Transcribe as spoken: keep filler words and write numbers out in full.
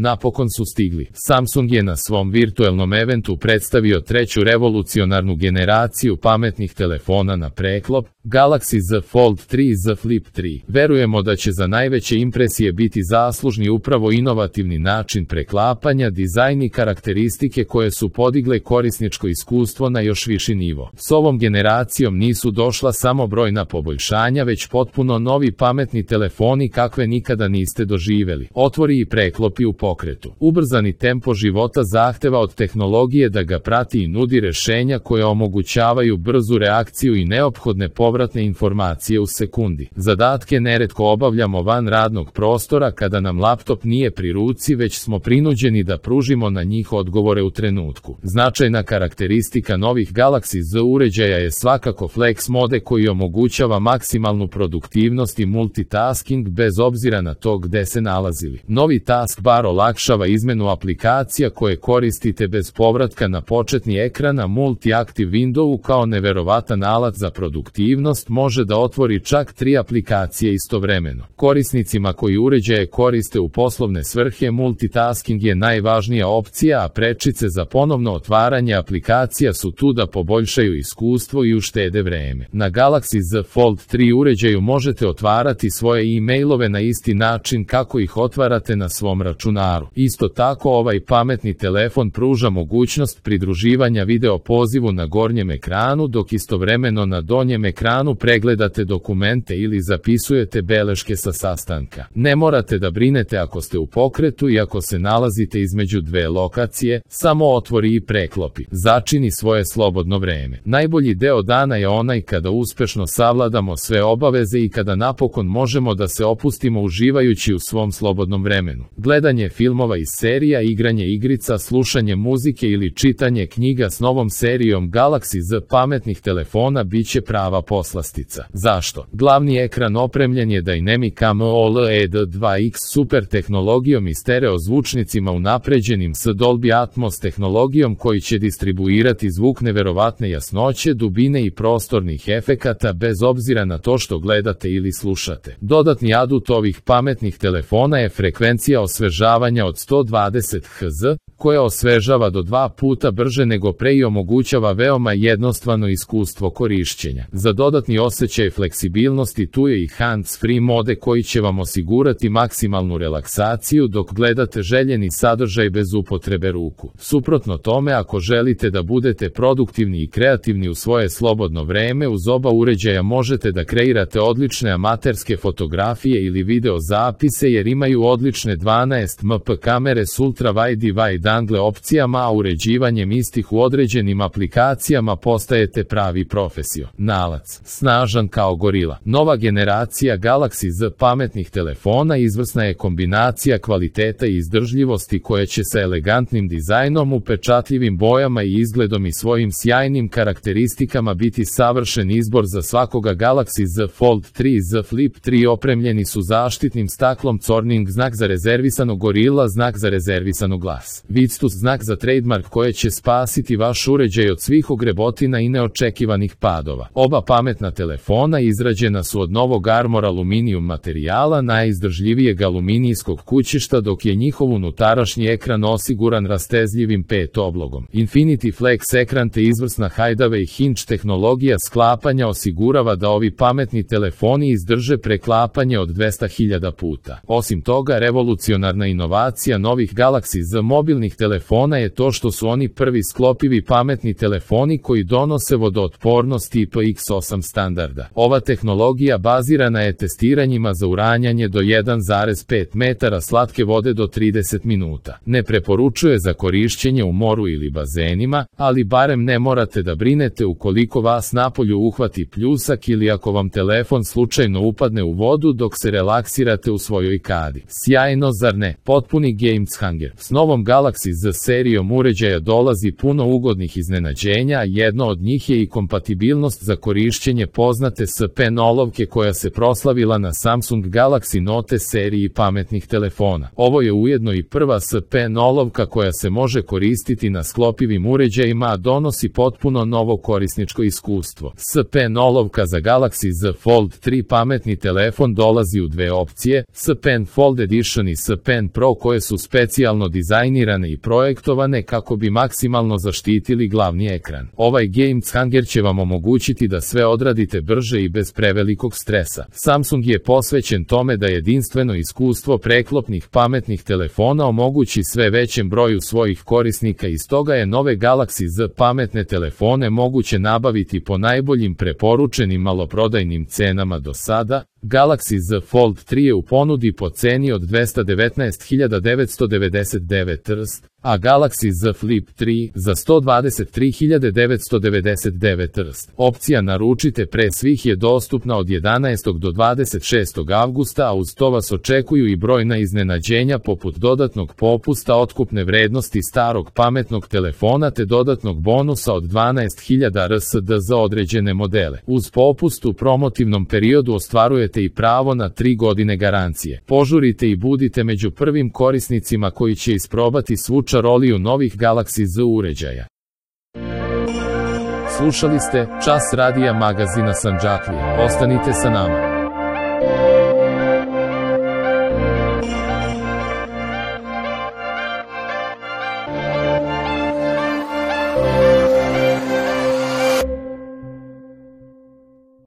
Napokon su stigli. Samsung je na svom virtuelnom eventu predstavio treću revolucionarnu generaciju pametnih telefona na preklop, Galaxy Z Fold tri i Z Flip tri. Verujemo da će za najveće impresije biti zaslužni upravo inovativni način preklapanja, dizajn i karakteristike koje su podigle korisničko iskustvo na još viši nivo. S ovom generacijom nisu došla samo brojna poboljšanja, već potpuno novi pametni telefoni kakve nikada niste doživeli. Otvori i preklopi u pokretu. Ubrzani tempo života zahteva od tehnologije da ga prati i nudi rešenja koje omogućavaju brzu reakciju i neophodne povratne informacije u sekundi. Zadatke neretko obavljamo van radnog prostora kada nam laptop nije pri ruci, već smo prinuđeni da pružimo na njih odgovore u trenutku. Značajna karakteristika novih Galaxy Z uređaja je svakako Flex mode koji omogućava maksimalnu produktivnost i multitasking bez obzira na to gde se nalazili. Novi taskbar olakšava izmenu aplikacija koje koristite bez povratka na početni ekran, a Multi-Active Window kao neverovatan alat za produktivnost može da otvori čak tri aplikacije istovremeno. Korisnicima koji uređaje koriste u poslovne svrhe, multitasking je najvažnija opcija, a prečice za ponovno otvaranje aplikacija su tu da poboljšaju iskustvo i uštede vreme. Na Galaxy Z Fold tri uređaju možete otvarati svoje e-mailove na isti način kako ih otvarate na svom računaru. Isto tako ovaj pametni telefon pruža mogućnost pridruživanja video pozivu na gornjem ekranu, dok istovremeno na donjem ekranu pregledate dokumente ili zapisujete beleške sa sastanka. Ne morate da brinete ako ste u pokretu i ako se nalazite između dve lokacije, samo otvori i preklopi. Začini svoje slobodno vreme. Najbolji deo dana je onaj kada uspešno savladamo sve obaveze i kada napokon možemo da se opustimo uživajući u svom slobodnom vremenu. Gledanje filmova iz serija, igranje igrica, slušanje muzike ili čitanje knjiga s novom serijom Galaxy Z pametnih telefona biće prava poslastica. Zašto? Glavni ekran opremljen je Dynamic AMOLED dva X super tehnologijom i stereo zvučnicima unapređenim s Dolby Atmos tehnologijom koji će distribuirati zvuk neverovatne jasnoće, dubine i prostornih efekata bez obzira na to što gledate ili slušate. Dodatni adut ovih pametnih telefona je frekvencija osvežavanja od sto dvadeset hertza, koja osvežava do dva puta brže nego pre i omogućava veoma jednostavno iskustvo korišćenja. Za dodatni osjećaj fleksibilnosti tu je i hands-free mode koji će vam osigurati maksimalnu relaksaciju dok gledate željeni sadržaj bez upotrebe ruku. Suprotno tome, ako želite da budete produktivni i kreativni u svoje slobodno vreme, uz oba uređaja možete da kreirate odlične amaterske fotografije ili video zapise jer imaju odlične dvanaest megapikselske kamere s ultra wide i wide angle opcijama, a uređivanjem istih u određenim aplikacijama postajete pravi profesionalac. Snažan kao gorila. Nova generacija Galaxy Z pametnih telefona izvrsna je kombinacija kvaliteta i izdržljivosti koja će sa elegantnim dizajnom, upečatljivim bojama i izgledom i svojim sjajnim karakteristikama biti savršen izbor za svakoga. Galaxy Z Fold tri i Z Flip tri opremljeni su zaštitnim staklom Corning, znak za rezervisano, Gorilla, znak za rezervisano glas, Victus, znak za trademark koje će spasiti vaš uređaj od svih ogrebotina i neočekivanih padova. Oba pametna telefona izrađena su od novog Armor aluminijum materijala, najizdržljivijeg aluminijskog kućišta, dok je njihov unutrašnji ekran osiguran rastezljivim pet oblogom. Infinity Flex ekran te izvrsna Hideaway Hinge tehnologija sklapanja osigurava da ovi pametni telefoni izdrže preklapanje od dvesta hiljada puta. Osim toga, revolucionarna inovacija novih Galaxy Z mobilnih telefona je to što su oni prvi sklopivi pametni telefoni koji donose vodootpornost I P X osam standarda. Ova tehnologija bazirana je testiranjima za uranjanje do jedan zarez pet metara slatke vode do trideset minuta. Ne preporučuje za korišćenje u moru ili bazenima, ali barem ne morate da brinete ukoliko vas napolju uhvati pljusak ili ako vam telefon slučajno upadne u vodu dok se relaksirate u svojoj kadi. Sjajno, zar ne? Potpuni game changer. S novom Galaxy Galaxy Z serijom uređaja dolazi puno ugodnih iznenađenja, a jedno od njih je i kompatibilnost za korišćenje poznate S Pen olovke koja se proslavila na Samsung Galaxy Note seriji pametnih telefona. Ovo je ujedno i prva S Pen olovka koja se može koristiti na sklopivim uređajima, a donosi potpuno novo korisničko iskustvo. S Pen olovka za Galaxy Z Fold tri pametni telefon dolazi u dve opcije, S Pen Fold Edition i S Pen Pro, koje su specijalno dizajnirane i projektovane kako bi maksimalno zaštitili glavni ekran. Ovaj game changer će vam omogućiti da sve odradite brže i bez prevelikog stresa. Samsung je posvećen tome da jedinstveno iskustvo preklopnih pametnih telefona omogući sve većem broju svojih korisnika i stoga je nove Galaxy Z pametne telefone moguće nabaviti po najboljim preporučenim maloprodajnim cenama do sada. Galaxy Z Fold tri je u ponudi po ceni od dvesta devetnaest hiljada devetsto devedeset devet trst, a Galaxy Z Flip tri za sto dvadeset tri hiljade devetsto devedeset devet trst. Opcija naručite pre svih je dostupna od jedanaestog do dvadeset šestog avgusta, a uz to vas očekuju i brojna iznenađenja poput dodatnog popusta otkupne vrednosti starog pametnog telefona te dodatnog bonusa od dvanaest hiljada R S D za određene modele. Uz popust u promotivnom periodu ostvarujete i pravo na tri godine garancije. Požurite i budite među prvim korisnicima koji će isprobati svu čaroliju novih Galaxy Z uređaja. Slušali ste Čas radija magazina Sandžaklija. Ostanite sa nama.